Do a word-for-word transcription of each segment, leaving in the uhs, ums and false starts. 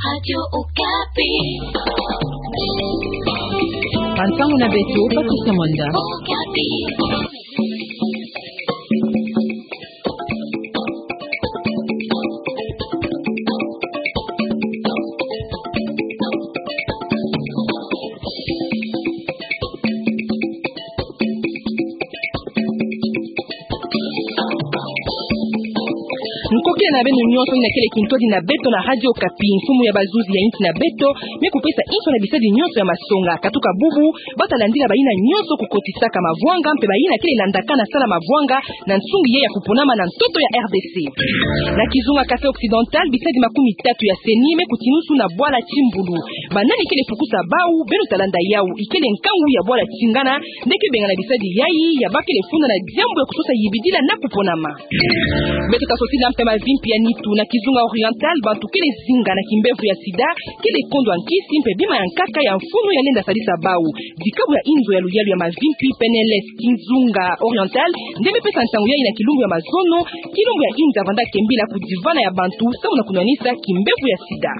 Radio Okapi. Bantangu na beto, Patricia Mwanda. Okapi. Nkokila na beno nyonso, ni na kele kintwadi na beto na Radio Okapi. Mfumu ya bazuzi ya insi na beto me kupesa inso na bisadi nyonso ya masonga. Katuka bubu, bata landila bayina nyonso kukotisaka mavwanga, mpe bayina kele landakana sala mavwanga na nsungi ya kuponama na ntoto ya R D C. Na kizunga Kasai Occidental, bisadi makumi tatu ya CENI me kutinusu na bwala Kimbulu. Banani kele pukusa bau, beno ta landa yau, ikele nkangu ya bwala Tingana, nde ke bengana bisadi yayi, ya bakele funda na diambu ya kusosa yibidila na kuponama. Beto ta sosila mpe mavimpi ya nitu. Na kizunga Oriental, bantu kele zinga na kimbevo ya sida, kele kondwa nkisi mpe bima ya nkaka ya mfunu ya lenda sadisa bau. Dikabu ya inzo ya luyalu ya mavimpi, P N L S, kizunga Oriental nde me pesa nsangu yayi na kilumbu ya mazono, kilumbu ya inza vanda kembila kudivana ya bantu, samu na kunwanisa kimbevo ya sida.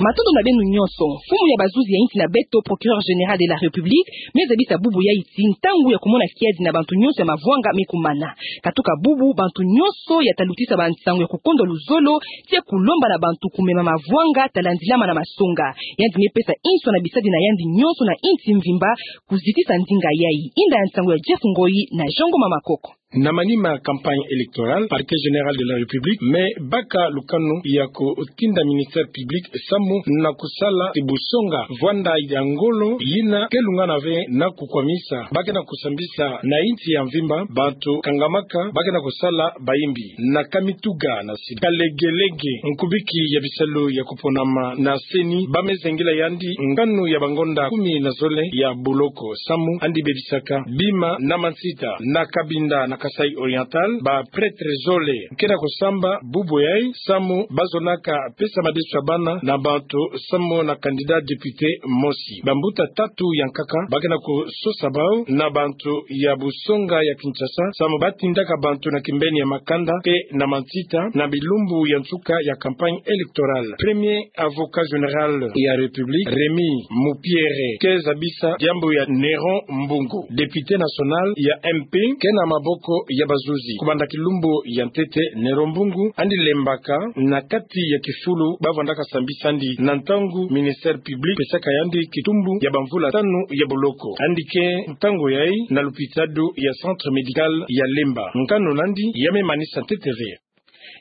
Matondo na beno nyonso. Mfumu ya bazuzi ya insi na beto, Procureur Général de la République, me zabisa bubu yayi ti ntangu ya kumona kiadi na bantu nyonso ya mavwanga me kumana. Katuka bubu, bantu nyonso ya ta lutisa bansangu ya kukondwa luzolo, ti ya kulomba na bantu kumema mavwanga, ta landilama na masonga. Yandi me pesa inso na bisadi na yandi nyonso na insi mvimba kuzitisa ndinga yayi. Inda ya nsangu ya Jeff Ngoyi na Jean Ngoma Makoko. Na manima campagne électorale, Parquet Général de la République me baka lukanu ya kutinda ministère public samu na kusala ti busonga vwanda ya ngolo yina ke lungana ve na kukwamisa, ba ke na kusambisa na insi ya mvimba bantu kangamaka ba ke na kusala bayimbi na Kamituga na sida. Kalegelege, nkubiki ya bisalu ya kuponama na CENI, ba me zengila yandi nkanu ya bangonda kumi na zole ya buloko samu andi bebisaka bima na mansita na Cabinda na Kasai Oriental, ba prêtre zole ke na kusamba bubu yayi samu ba zonaka pesa madesu ya bana na bantu samu na candidat député mosi. Bambuta tatu ya nkaka ba ke na kusosa bau na bantu ya busonga ya Kinshasa samu ba tindaka bantu na kimbeni ya makanda mpe na mansita na bilumbu ya nsuka ya campagne électorale. Premier avocat général ya République, Rémy Mupiere, ke zabisa diambu ya Néron Mbungu, député national ya M P, ke na maboko ya bazuzi. Kubanda kilumbu ya ntete, Néron Mbungu andi lembaka na kati ya kifulu ba vandaka sambisa andi na ntangu ministère public pesaka yandi kitumbu ya bamvula tanu ya buloko. Andi ke ntangu yayi na lupitadu ya Centre Médical ya Lemba. Nkanu nandi ya me manisa ntete ve.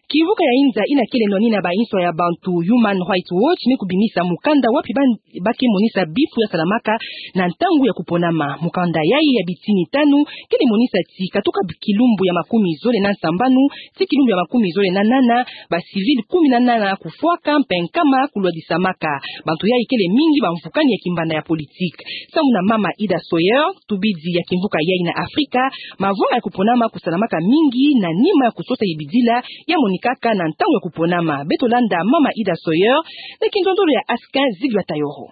Kimvuka ya inza ina kele nwani na ba inso ya bantu, Human Rights Watch, me kubimisa mukanda wapi ba, ba ke monisa bifu ya salamaka na ntangu ya kuponama. Mukanda yayi ya bitini tanu kele monisa ti katuka kilumbu ya makumi zole na nsambanu ti kilumbu ya makumi zole na nana, ba civil kumi na nana kufwaka mpe nkama kulwadisamaka. Bantu yayi kele mingi bamvukani ya kimbanda ya politique. Samu na mama Ida Sawyer, tubidi ya kimvuka yayi na Afrika, mavwanga ya kuponama kusalamaka mingi na nima ya kusosa yibidila ya monikaka na ntangu ya kuponama. Beto landa mama Ida Sawyer na kindondolo ya Askin Zigba Tayoro.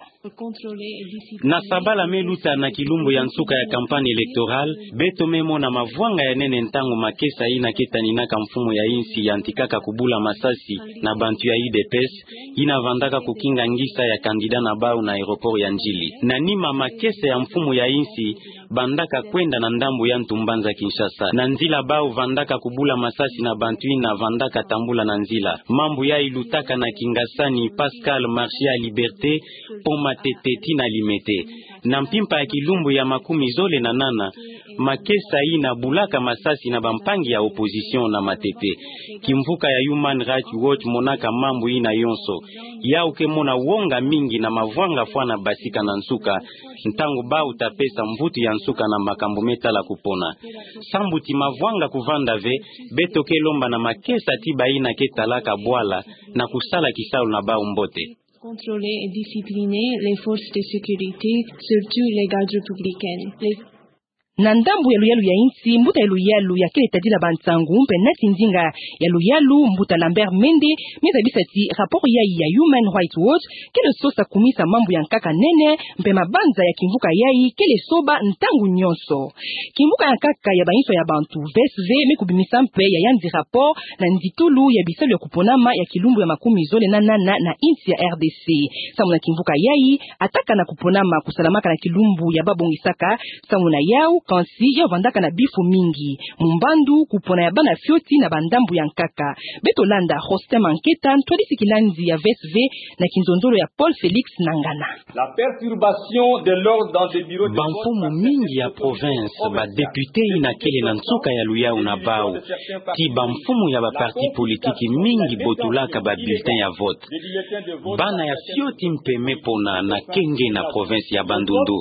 Na sabala me luta na kilumbu ya nsuka ya campagne électorale, beto me mona mavwanga ya nene ntangu makesa ina ke taninaka mfumu ya insi yantikaka kubula masasi na bantu ya U D P S, ina vandaka kukinga ngisa ya candidat na bau na aéroport ya Ndjili. Na nima, makesa ya mfumu ya insi bandaka kwenda na ndambu ya ntu mbanza Kinshasa. Na nzila bau vandaka kubula masasi na bantu ina vandaka tambula na nzila. Mambu yayi lutaka na Kingasani, Pascal, Marché ya Liberté, Pont Matete tii na Limete. Na mpimpa ya kilumbu ya makumi zole na nana, makesa ina bulaka masasi na bampangi ya opposition na Matete. Kimvuka ya Human Rights Watch monaka mambu ina yonso. Yau ke mona wonga mingi na mavwanga fwana basika na nsuka, ntangu bau ta pesa mvutu ya nsuka na makambu me tala kupona. Sambu ti mavwanga kuvanda ve, beto ke lomba na makesa ti baina ke talaka bwala na kusala kisalu na bau mbote. Contrôler et discipliner les forces de sécurité, surtout les gardes républicaines. Les Na ndambu ya luyalu ya insi, mbuta ya luyalu ya kele tadila bansangu mpe nati ndinga ya luyalu, mbuta Lambert Mende, me zabisa ti rapport yayi ya Human Rights Watch kele sosa kumisa mambu ya nkaka nene, mpe mabanza ya kimvuka yayi kele soba ntangu nyonso. Kimvuka ya nkaka ya bainso ya bantu, V S V, me kubimisa mpe ya yandi rapport na nditulu ya bisalu ya kuponama ya kilumbu ya makumi zole na nana na insi ya R D C. Samu na kimvuka yayi, attaque na kuponama kusalamaka na kilumbu ya babongisaka nsangu na yau, kansi yau vandaka na bifu mingi. Mumbandu, kupona ya bana fioti na bandambu ya nkaka. Beto landa Rosten Manketa, ntwadisi kilandi ya V S V, na kinzonzolo ya Paul Felix Nangana. La perturbation de l'ordre dans des bureaux de vote. Bamfumu mingi ya province, badepute yina kele na nsuka ya luyalu na bau, ti bamfumu ya baparti politiki mingi botulaka babulletin ya vote. Bana ya fioti mpe me pona na kenge na province ya Bandundu.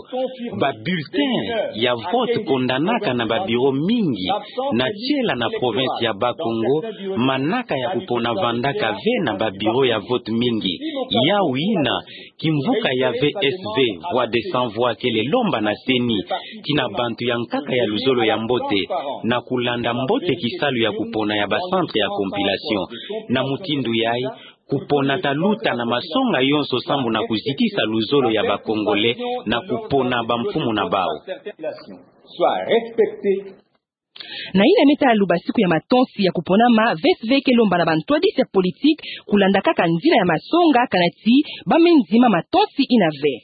Babulletin ya vote kondanaka na babureau mingi. Na tiela na province ya Bas-Congo, manaka ya kupona vandaka ve na babureau ya vote mingi. Yau yina kimvuka ya V S V, Voix des Sans Voix, kele lomba na CENI, ti na bantu ya nkaka ya luzolo ya mbote, na kulanda mbote kisalu ya kupona ya bacentre ya compilation. Na mutindu yayi, kupona ta luta na masonga yonso sambu na kuzitisa luzolo ya ba Congolais na kupona bamfumu na bau. Soit respecté. Na yina me tala luba siku ya matonsi ya kuponama, V S V ke lomba na bantwadisi ya politique kulanda kaka nzila ya masonga, kana ti ba me ndima matonsi yina ve.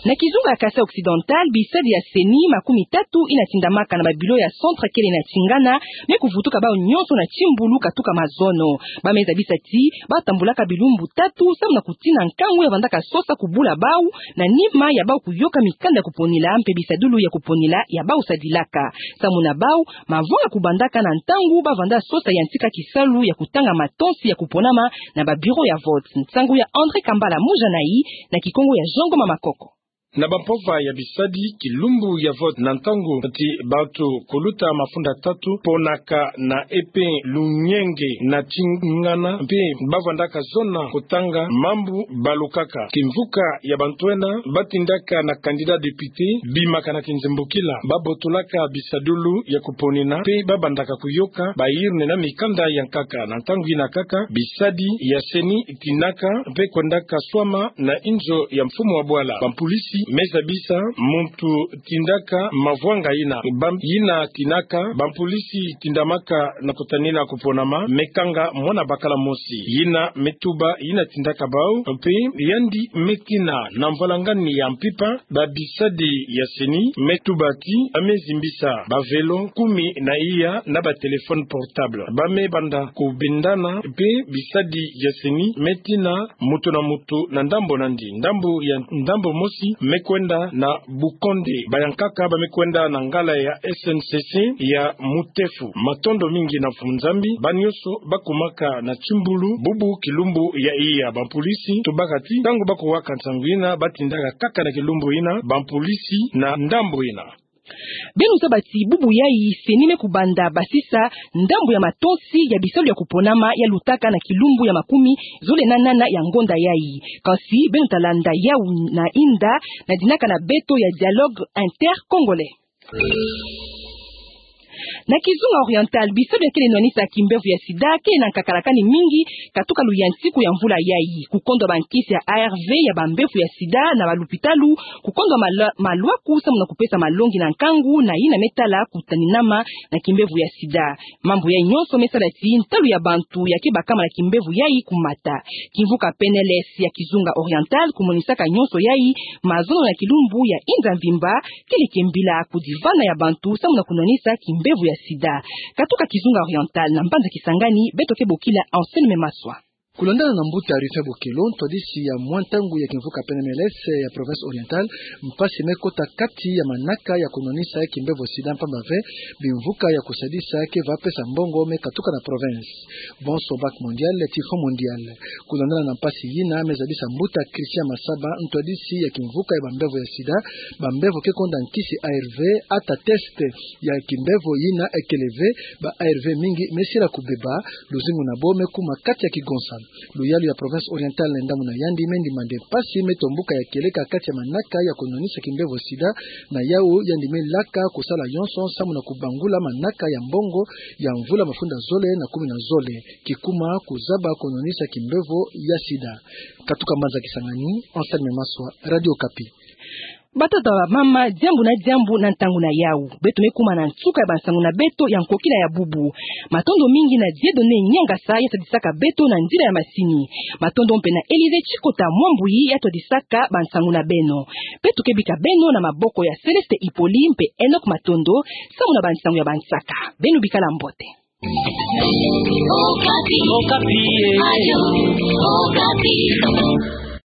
Na kizunga ya Kasaï Occidental, bisadi ya CENI makumi tatu yina tindamaka na babureau ya centre kele na tingana, me kuvutuka bau nyonso na timbulu katuka mazono. Ba me zabisa ti ba tambulaka bilumbu tatu samu na kutina nkangu ya vandaka sosa kubula bau, na nima ya bau kuyoka mikanda ya kuponila mpe bisadulu ya kuponila ya bau sadilaka. Samu na bau, mavanga kubandaka na ntangu ba vanda sosa yantika kisalu ya kutanga matonsi ya kuponama na babureau ya vote. Nsangu ya André Kambala Mujanai, na Kikongo ya Jean Ngoma Makoko. Na bampova ya bisadi, kilumbu ya vote na ntangu ti bantu kuluta mafunda tatu ponaka na epe lunyenge na tingana, mpe ba vandaka zona kutanga mambu balukaka. Kimvuka ya bantu ena ba tindaka na candidat député bimaka na kinzembukila, ba botulaka bisadulu ya kuponina, mpe ba bandaka kuyoka ba urne na mikanda ya nkaka. Na ntangu yina kaka, bisadi ya CENI tinaka mpe kwendaka swama na inzo ya mfumu wa bwala. Bampulisi me zabisa muntu tindaka mavwanga yina. Ba yina tinaka, bampulisi tindamaka na kutanina kuponama, me kanga mwana bakala mosi. Yina me tuba yina tindaka bau, mpe yandi me tina na mvwalangani ya mpimpa. Ba bisadi ya CENI me tuba ti ba me zimbisa ba vélo kumi na iya na ba téléphone portable. Ba me banda kubendana, mpe bisadi ya CENI me tina mutu na mutu na ndambu nandi. Ndambu ya, ndambu mosi me kwenda na Bukonde. Ba ya nkaka ba me kwenda na ngala ya S N C C ya Mutefu. Matondo mingi na Mfumu Nzambi, ba nyonso ba kumaka na timbulu bubu kilumbu ya iya. Bampulisi tubaka ti ntangu ba kuwaka nsangu yina, ba tindaka kaka na kilumbu yina, bampulisi na ndambu yina. Beno zaba ti bubu yayi CENI me kubanda basisa ndambu ya matonsi ya bisalu ya kuponama ya lutaka na kilumbu ya makumi zole na nana ya ngonda yayi. Kansi beno ta landa yau na inda na dinaka na beto ya Dialogue Intercongolais. Na Kizunga Oriental, bisalu ya kele nwanisa kimbevo ya sida kele na nkakalakani mingi katuka luyantiku ya mvula yayi. Kukondwa bankisi ya A R V ya bambevo ya sida na balupitalu, kukondwa malwa-, malwaku samu na kupesa malongi na nkangu na yina me tala kutaninama na kimbevo ya sida. Mambu yayi nyonso me sala ti ntalu ya bantu ya ke bakama na kimbevo yayi kumata. Kimvuka P N L S ya Kizunga Oriental kumonisaka nyonso yayi mazono na kilumbu ya inza mvimba, kele kimbila kudivana ya bantu samu na kunwanisa kimbevo ya sida. Katuka Kizunga Oriental, na mbanza Kisangani, beto ke bokila Anselme Maswa. Kulandana na mbuta Rufin Bokelo, ntwadisi ya mwa ntangu ya kimvuka P N L S ya province Oriental, mpasi me kota kati ya manaka ya kunwanisa kimbevo sida mpamba ve bimvuka ya kusadisa ke va pesa mbongo me katuka na province. Bonso Banque Mondiale ti Fonds Mondial. Kulandana na mpasi yina, me zabisa mbuta Christian Masaba, ntwadisi ya kimvuka ya bambevo ya sida, bambevo ke konda nkisi A R V, ata test ya kimbevo yina ekele ve, ba A R V mingi me sila kubeba, luzingu na bo me kuma kati ya kigonsa. Luyalu ya province orientale na ndambu na yandi me ndimande mpasi me tombuka ya kieleka kati ya manaka ya konwanisa kimbevo sida, na yau yandi me laka kosala yonson samu na kobangula manaka ya mbongo ya mvula mafundi zole na kumi na zole, kikuma kozaba konwanisa kimbevo ya sida. Katuka Mbanza Kisangani, Anselme Maswa, Radio Okapi. Batata, bamama, diambu na diambu na ntangu na yau. Beto me kuma na nsuka ya bansangu na beto ya nkokila ya bubu. Matondo mingi na Dieudonné Niangasa ya sadisaka beto na nzila ya masini. Matondo mpe na Élisée Tshikota Mwambuyi ya twadisaka bansangu na beno. Beto ke bika beno na maboko ya Céleste Hippolyte mpe Enoch Matondo, samu na bansangu ya bansaka. Beno bikala mbote. Okapi. Okapi, eh. Radio Okapi.